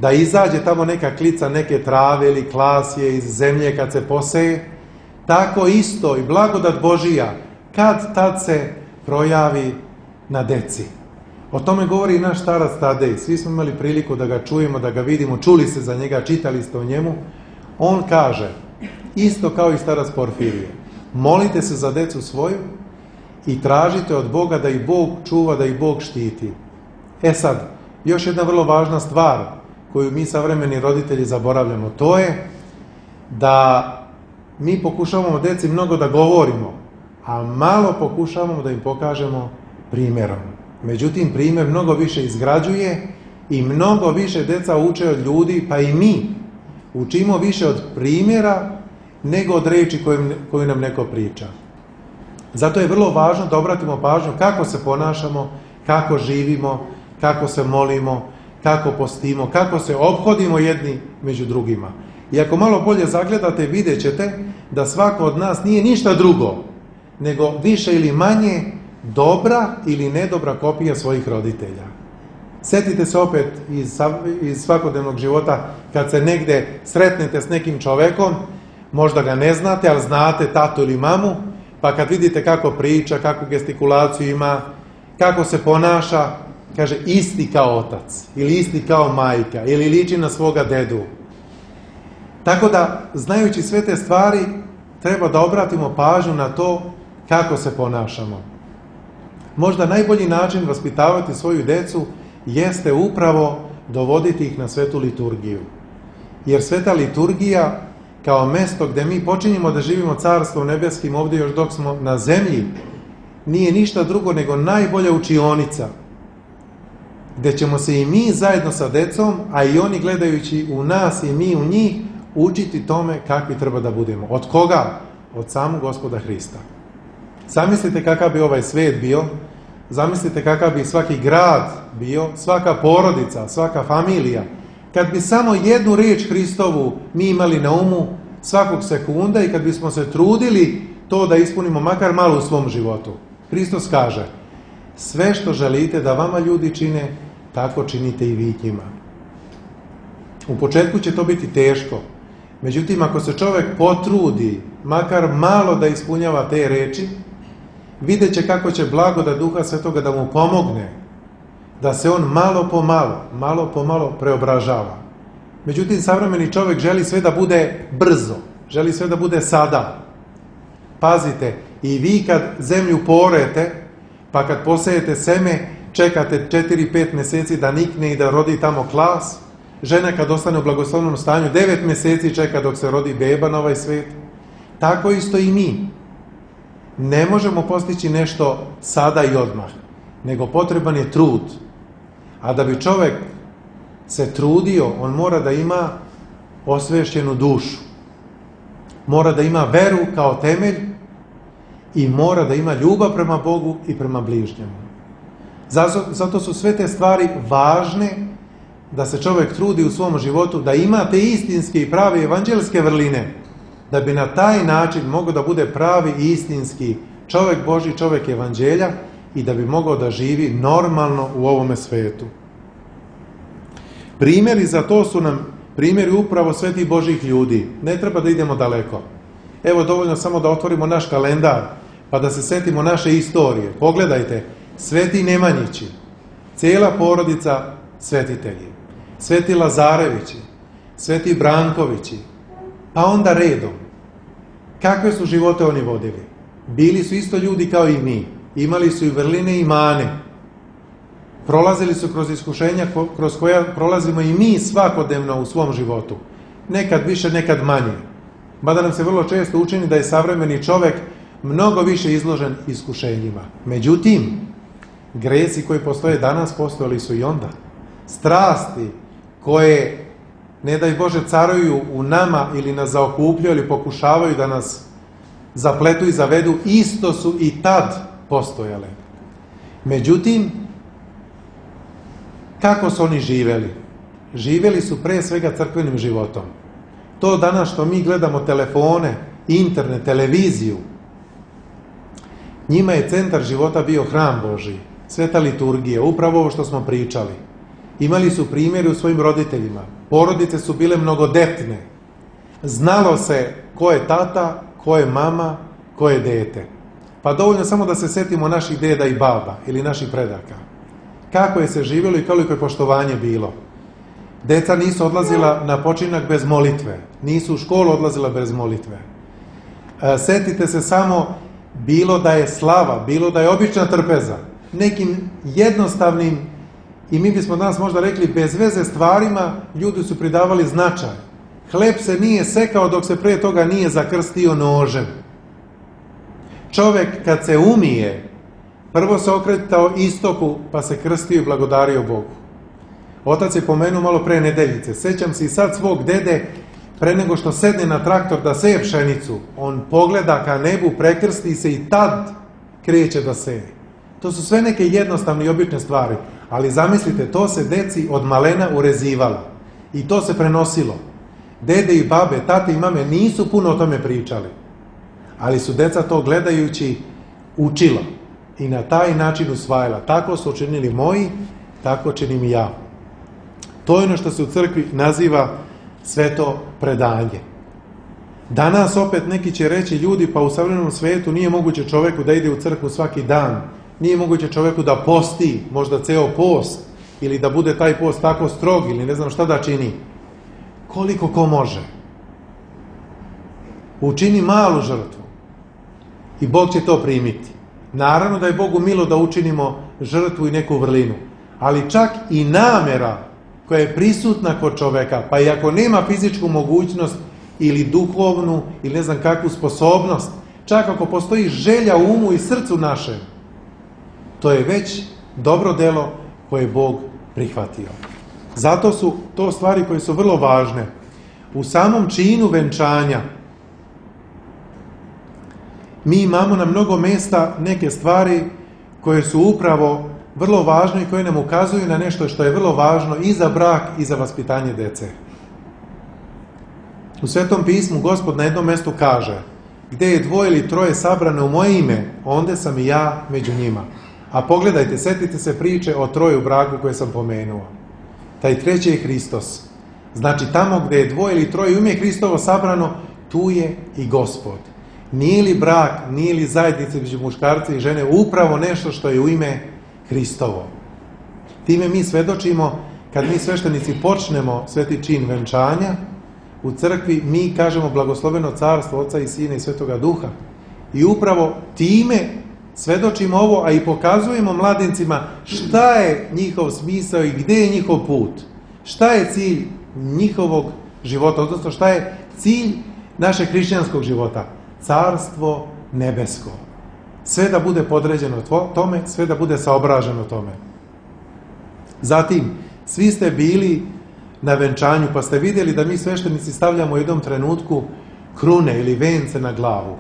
da izađe tamo neka klica neke trave ili klasje iz zemlje kad se poseje, tako isto i blagodat Božija kad tad se projavi na deci. O tome govori i naš starac Tadej. Svi smo imali priliku da ga čujemo, da ga vidimo, čuli se za njega, čitali ste o njemu. On kaže, isto kao i starac Porfirije, molite se za decu svoju i tražite od Boga da ih Bog čuva, da ih Bog štiti. E sad, još jedna vrlo važna stvar koju mi savremeni roditelji zaboravljamo, to je da mi pokušavamo deci mnogo da govorimo, a malo pokušavamo da im pokažemo primjerom. Međutim, primjer mnogo više izgrađuje i mnogo više deca uče od ljudi, pa i mi učimo više od primjera nego od reči koju, koju nam neko priča. Zato je vrlo važno da obratimo pažnju kako se ponašamo, kako živimo, kako se molimo, kako postimo, kako se ophodimo jedni među drugima. I ako malo bolje zagledate, vidjet ćete da svako od nas nije ništa drugo, nego više ili manje dobra ili nedobra kopija svojih roditelja. Sjetite se opet iz, iz svakodnevnog života, kad se negde sretnete s nekim čovekom, možda ga ne znate, ali znate tatu ili mamu, pa kad vidite kako priča, kakvu gestikulaciju ima, kako se ponaša, kaže isti kao otac, ili isti kao majka, ili liči na svoga dedu. Tako da, znajući sve te stvari, treba da obratimo pažnju na to kako se ponašamo. Možda najbolji način vaspitavati svoju decu jeste upravo dovoditi ih na svetu liturgiju. Jer sveta liturgija, kao mesto gde mi počinjemo da živimo carstvo nebeskim ovdje još dok smo na zemlji, nije ništa drugo nego najbolja učionica, gde ćemo se i mi zajedno sa decom, a i oni gledajući u nas i mi u njih, učiti tome kakvi treba da budemo. Od koga? Od samog Gospoda Hrista. Zamislite kakav bi ovaj svijet bio, zamislite kakav bi svaki grad bio, svaka porodica, svaka familija, kad bi samo jednu riječ Hristovu mi imali na umu svakog sekunda i kad bismo se trudili to da ispunimo makar malo u svom životu. Hristos kaže, sve što želite da vama ljudi čine, tako činite i vi njima. U početku će to biti teško, međutim ako se čovjek potrudi makar malo da ispunjava te reči, vidjet će kako će blagodat Duha Svetoga da mu pomogne, da se on malo po malo, malo po malo preobražava. Međutim, savremeni čovjek želi sve da bude brzo, želi sve da bude sada. Pazite, i vi kad zemlju porete, pa kad posejete seme, čekate četiri pet mjeseci da nikne i da rodi tamo klas, žena kad ostane u blagoslovnom stanju, devet mjeseci čeka dok se rodi beba na ovaj svijet. Tako isto i mi. Ne možemo postići nešto sada i odmah, nego potreban je trud. A da bi čovjek se trudio, on mora da ima osvešćenu dušu. Mora da ima veru kao temelj i mora da ima ljubav prema Bogu i prema bližnjemu. Zato, zato su sve te stvari važne da se čovjek trudi u svom životu, da ima te istinske i prave evanđelske vrline, da bi na taj način mogao da bude pravi i istinski čovjek Božji, čovjek evanđelja i da bi mogao da živi normalno u ovome svetu. Primjeri za to su nam primjeri upravo svetih Božjih ljudi. Ne treba da idemo daleko. Evo dovoljno samo da otvorimo naš kalendar, pa da se setimo naše istorije. Pogledajte, Sveti Nemanjići, cijela porodica svetitelji, Sveti Lazarevići, Sveti Brankovići, pa onda redom. Kakve su živote oni vodili? Bili su isto ljudi kao i mi, imali su i vrline i mane, prolazili su kroz iskušenja kroz koja prolazimo i mi svakodnevno u svom životu. Nekad više, nekad manje. Mada nam se vrlo često učini da je savremeni čovjek mnogo više izložen iskušenjima. Međutim, gresi koji postoje danas, postojali su i onda. Strasti koje, ne daj Bože, caruju u nama ili nas zaokupljaju ili pokušavaju da nas zapletu i zavedu, isto su i tad postojale. Međutim, kako su oni živjeli? Živjeli su pre svega crkvenim životom. To danas što mi gledamo telefone, internet, televiziju, njima je centar života bio hram Božji, sveta liturgija, upravo ovo što smo pričali. Imali su primjeri u svojim roditeljima. Porodice su bile mnogodetne. Znalo se ko je tata, ko je mama, ko je dete. Pa dovoljno samo da se setimo naših deda i baba ili naših predaka. Kako je se živjelo i koliko je poštovanje bilo. Deca nisu odlazila na počinak bez molitve. Nisu u školu odlazila bez molitve. E, setite se samo, bilo da je slava, bilo da je obična trpeza, nekim jednostavnim, i mi bismo danas možda rekli bez veze stvarima, ljudi su pridavali značaj. Hleb se nije sekao dok se prije toga nije zakrstio nožem. Čovjek kad se umije, prvo se okretao istoku, pa se krstio i blagodario Bogu. Otac je pomenuo malo pre nedeljice. Sećam se i sad svog dede, pre nego što sedne na traktor da seje pšenicu, on pogleda ka nebu, prekrsti se i tad kreće da seje. To su sve neke jednostavne i obične stvari. Ali zamislite, to se deci od malena urezivalo. I to se prenosilo. Dede i babe, tate i mame nisu puno o tome pričali. Ali su deca to gledajući učila. I na taj način usvajala. Tako su učinili moji, tako činim i ja. To je ono što se u crkvi naziva sveto predanje. Danas opet neki će reći ljudi, pa u savremenom svetu nije moguće čovjeku da ide u crkvu svaki dan. Nije moguće čovjeku da posti, možda ceo post, ili da bude taj post tako strog, ili ne znam šta da čini. Koliko ko može. Učini malu žrtvu i Bog će to primiti. Naravno da je Bogu milo da učinimo žrtvu i neku vrlinu, ali čak i namera koja je prisutna kod čoveka, pa i ako nema fizičku mogućnost ili duhovnu ili ne znam kakvu sposobnost, čak ako postoji želja u umu i srcu našem, to je već dobro delo koje je Bog prihvatio. Zato su to stvari koje su vrlo važne. U samom činu venčanja mi imamo na mnogo mjesta neke stvari koje su upravo vrlo važne i koje nam ukazuju na nešto što je vrlo važno i za brak i za vaspitanje dece. U Svetom pismu Gospod na jednom mjestu kaže: gdje je dvoje ili troje sabrane u moje ime, onda sam i ja među njima. A pogledajte, setite se priče o troju braku koje sam pomenuo. Taj treći je Hristos. Znači tamo gdje je dvoje ili troje u ime Hristovo sabrano, tu je i Gospod. Nije li brak, nije li zajednica među muškarca i žene upravo nešto što je u ime Hristovo? Time mi svedočimo, kad mi sveštenici počnemo sveti čin venčanja, u crkvi mi kažemo blagosloveno carstvo Oca i Sina i Svetoga Duha. I upravo time svedočimo ovo, a i pokazujemo mladencima šta je njihov smisao i gdje je njihov put. Šta je cilj njihovog života, odnosno šta je cilj našeg hrišćanskog života. Carstvo nebesko. Sve da bude podređeno tome, sve da bude saobraženo tome. Zatim, svi ste bili na venčanju, pa ste vidjeli da mi sveštenici stavljamo u jednom trenutku krune ili vence na glavu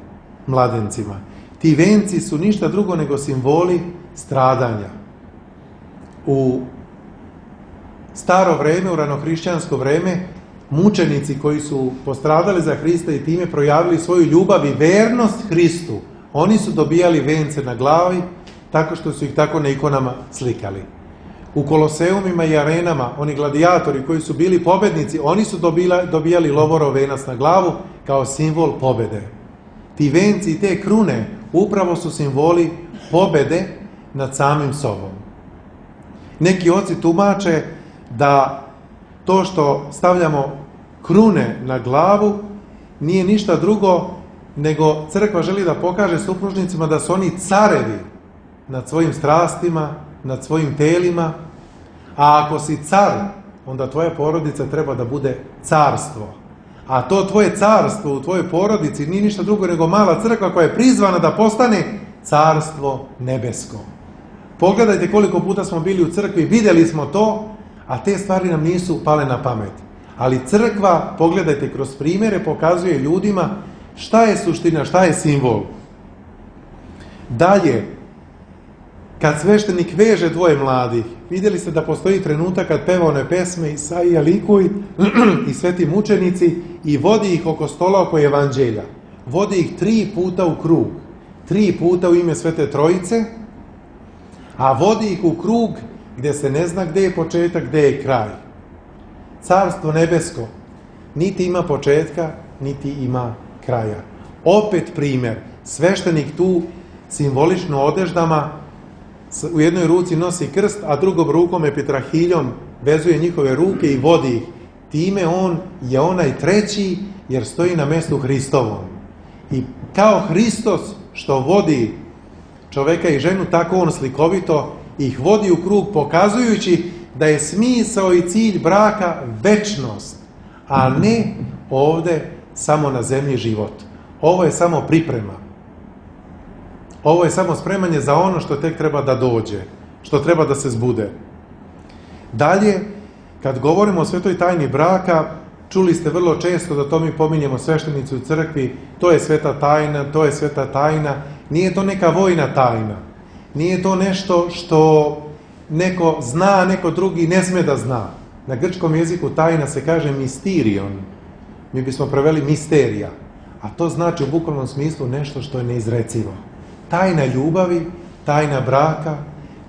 mladencima. Ti venci su ništa drugo nego simboli stradanja. U staro vreme, u ranohrišćansko vreme, mučenici koji su postradali za Hrista i time projavili svoju ljubav i vernost Hristu, oni su dobijali vence na glavi tako što su ih tako na ikonama slikali. U koloseumima i arenama, oni gladijatori koji su bili pobednici, oni su dobila, dobijali lovorov venac na glavu kao simbol pobede. Ti venci i te krune upravo su simboli pobede nad samim sobom. Neki oci tumače da to što stavljamo krune na glavu nije ništa drugo nego crkva želi da pokaže supružnicima da su oni carevi nad svojim strastima, nad svojim telima, a ako si car, onda tvoja porodica treba da bude carstvo. A to tvoje carstvo u tvojoj porodici nije ništa drugo nego mala crkva koja je prizvana da postane carstvo nebesko. Pogledajte koliko puta smo bili u crkvi, vidjeli smo to, a te stvari nam nisu pale na pamet. Ali crkva, pogledajte, kroz primjere pokazuje ljudima šta je suština, šta je simbol. Dalje, kad sveštenik veže dvoje mladih, vidjeli ste da postoji trenutak kad peva one pesme Isaija likuj i sveti mučenici i vodi ih oko stola oko evanđelja. Vodi ih tri puta u krug. Tri puta u ime Svete Trojice, a vodi ih u krug gdje se ne zna gdje je početak, gdje je kraj. Carstvo nebesko niti ima početka, niti ima kraja. Opet primjer, sveštenik tu simbolično odeždama u jednoj ruci nosi krst, a drugom rukom epitrahiljom vezuje njihove ruke i vodi ih. Time on je onaj treći jer stoji na mjestu Hristovom. I kao Hristos što vodi čoveka i ženu, tako on slikovito ih vodi u krug pokazujući da je smisao i cilj braka večnost, a ne ovdje samo na zemlji život. Ovo je samo priprema. Ovo je samo spremanje za ono što tek treba da dođe, što treba da se zbude. Dalje, kad govorimo o svetoj tajni braka, čuli ste vrlo često da to mi pominjemo sveštenici u crkvi, to je sveta tajna, to je sveta tajna. Nije to neka vojna tajna. Nije to nešto što neko zna, neko drugi ne sme da zna. Na grčkom jeziku tajna se kaže mysterion. Mi bismo preveli misterija. A to znači u bukvalnom smislu nešto što je neizrecivo. Tajna ljubavi, tajna braka,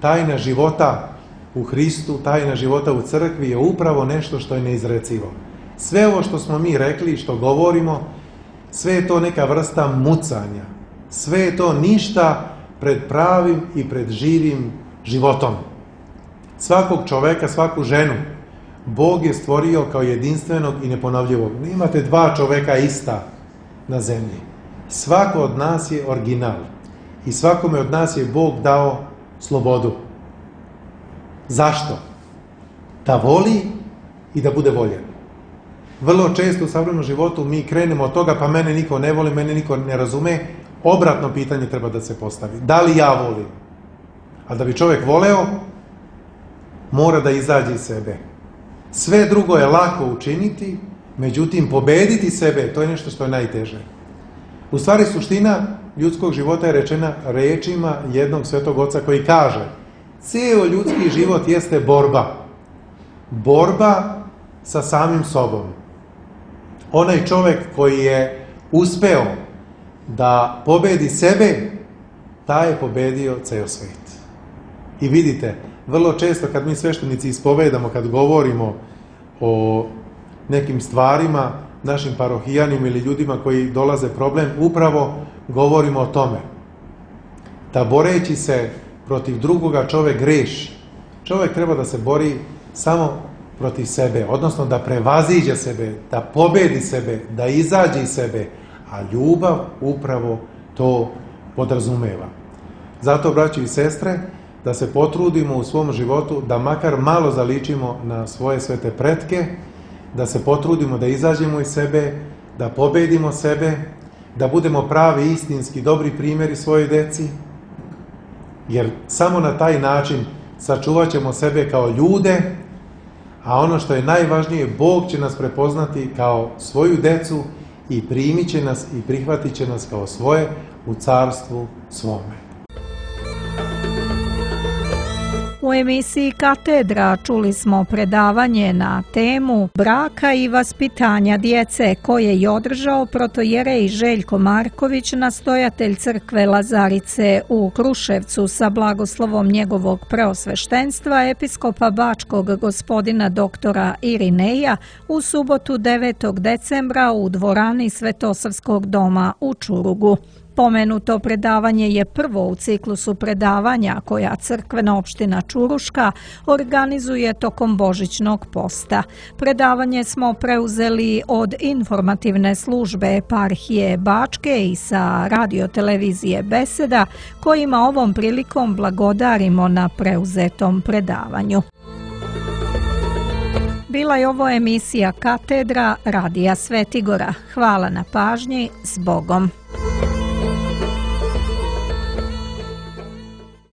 tajna života u Hristu, tajna života u crkvi je upravo nešto što je neizrecivo. Sve ovo što smo mi rekli, što govorimo, sve je to neka vrsta mucanja. Sve je to ništa pred pravim i pred živim životom. Svakog čoveka, svaku ženu, Bog je stvorio kao jedinstvenog i neponovljivog. Nemate dva čoveka ista na zemlji. Svako od nas je original. I svakome od nas je Bog dao slobodu. Zašto? Da voli i da bude voljen. Vrlo često u savremenom životu mi krenemo od toga, pa mene niko ne voli, mene niko ne razume. Obratno pitanje treba da se postavi. Da li ja volim? A da bi čovjek voleo, mora da izađe iz sebe. Sve drugo je lako učiniti, međutim pobediti sebe, to je nešto što je najteže. U stvari suština ljudskog života je rečena rečima jednog svetog oca koji kaže: cijel ljudski život jeste borba. Borba sa samim sobom. Onaj čovjek koji je uspeo da pobedi sebe, taj je pobedio ceo svijet. I vidite, vrlo često kad mi sveštenici ispovedamo, kad govorimo o nekim stvarima, našim parohijanima ili ljudima koji dolaze problem, upravo govorimo o tome. Da boreći se protiv drugoga čovjek greši. Čovjek treba da se bori samo protiv sebe, odnosno da prevaziđe sebe, da pobedi sebe, da izađe iz sebe, a ljubav upravo to podrazumeva. Zato, braći i sestre, da se potrudimo u svom životu da makar malo zaličimo na svoje svete pretke, da se potrudimo da izađemo iz sebe, da pobedimo sebe, da budemo pravi, istinski, dobri primjeri svojoj deci, jer samo na taj način sačuvat ćemo sebe kao ljude, a ono što je najvažnije, Bog će nas prepoznati kao svoju decu i primit će nas i prihvatit će nas kao svoje u carstvu svome. U emisiji Katedra čuli smo predavanje na temu braka i vaspitanja djece koje je održao protojerej Željko Marković, nastojatelj crkve Lazarice u Kruševcu, sa blagoslovom njegovog preosveštenstva episkopa Bačkog gospodina doktora Irineja u subotu devetog decembra u dvorani Svetosavskog doma u Čurugu. Pomenuto predavanje je prvo u ciklusu predavanja koja crkvena opština Čuruška organizuje tokom božićnog posta. Predavanje smo preuzeli od informativne službe eparhije Bačke i sa radiotelevizije Beseda, kojima ovom prilikom blagodarimo na preuzetom predavanju. Bila je ovo emisija Katedra Radija Svetigora. Hvala na pažnji, s Bogom.